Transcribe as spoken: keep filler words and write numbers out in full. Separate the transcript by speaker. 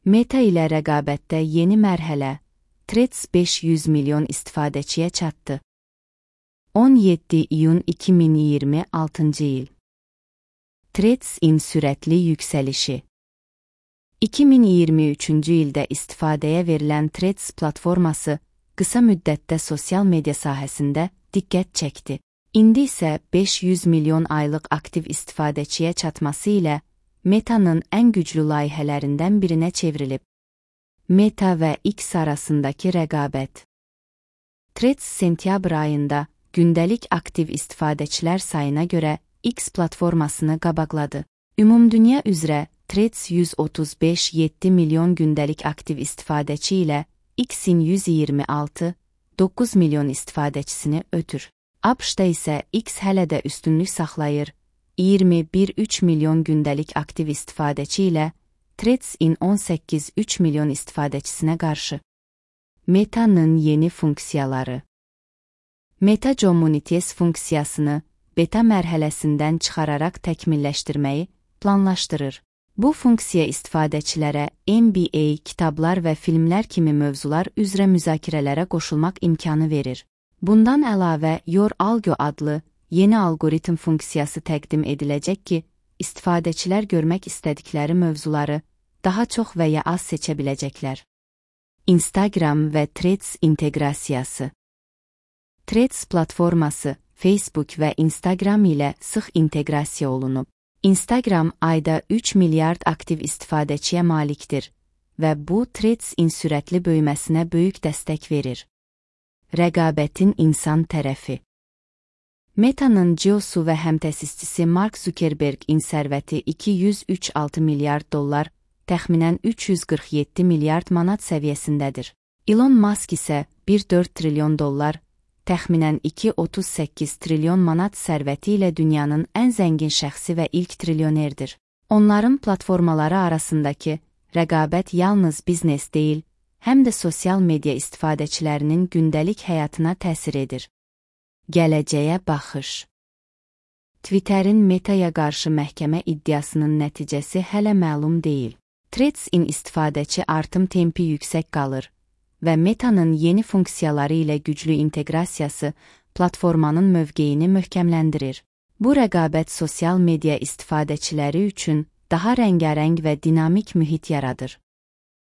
Speaker 1: Meta ilə rəqabətdə yeni mərhələ, Threads beş yüz milyon istifadəçiyə çatdı. on yeddi iyun iki min iyirmi altıncı il. Threads-in sürətli yüksəlişi. iki min iyirmi üçüncü ildə istifadəyə verilən Threads platforması qısa müddətdə sosial media sahəsində diqqət çəkdi. İndi isə beş yüz milyon aylıq aktiv istifadəçiyə çatması ilə Meta'nın ən güclü layihələrindən birinə çevrilib. Meta və X arasındakı rəqabət. Threads sentyabr ayında gündəlik aktiv istifadəçilər sayına görə X platformasını qabaqladı. Ümumdünya üzrə Threads yüz otuz beş nöqtə yeddi milyon gündəlik aktiv istifadəçi ilə X-in yüz iyirmi altı nöqtə doqquz milyon istifadəçisini ötür. ABŞ-da isə X hələ də üstünlük saxlayır, iyirmi bir nöqtə üç milyon gündəlik aktiv istifadəçi ilə Threads-in on səkkiz nöqtə üç milyon istifadəçisinə qarşı. Meta'nın yeni funksiyaları. Meta Communities funksiyasını beta mərhələsindən çıxararaq təkmilləşdirməyi planlaşdırır. Bu funksiya istifadəçilərə N B A, kitablar və filmlər kimi mövzular üzrə müzakirələrə qoşulmaq imkanı verir. Bundan əlavə Your Algo adlı yeni algoritm funksiyası təqdim ediləcək ki, istifadəçilər görmək istədikləri mövzuları daha çox və ya az seçə biləcəklər. Instagram və Threads inteqrasiyası. Threads platforması Facebook və Instagram ilə sıx inteqrasiya olunub. Instagram ayda üç milyard aktiv istifadəçiyə malikdir və bu Threads-in sürətli böyüməsinə böyük dəstək verir. Rəqabətin insan tərəfi. Meta'nın C E O-su və həmtəsisçisi Mark Zuckerberg-in sərvəti iki yüz üç nöqtə altı milyard dollar, təxminən üç yüz qırx yeddi milyard manat səviyyəsindədir. Elon Musk isə bir nöqtə dörd trilyon dollar, təxminən iki nöqtə otuz səkkiz trilyon manat sərvəti ilə dünyanın ən zəngin şəxsi və ilk trilyonerdir. Onların platformaları arasındakı rəqabət yalnız biznes deyil, həm də sosial media istifadəçilərinin gündəlik həyatına təsir edir. Gələcəyə baxış. Twitterin Meta'ya qarşı məhkəmə iddiasının nəticəsi hələ məlum deyil. Threads-in istifadəçi artım tempi yüksək qalır və Meta'nın yeni funksiyaları ilə güclü inteqrasiyası platformanın mövqeyini möhkəmləndirir. Bu rəqabət sosial media istifadəçiləri üçün daha rəngarəng və dinamik mühit yaradır.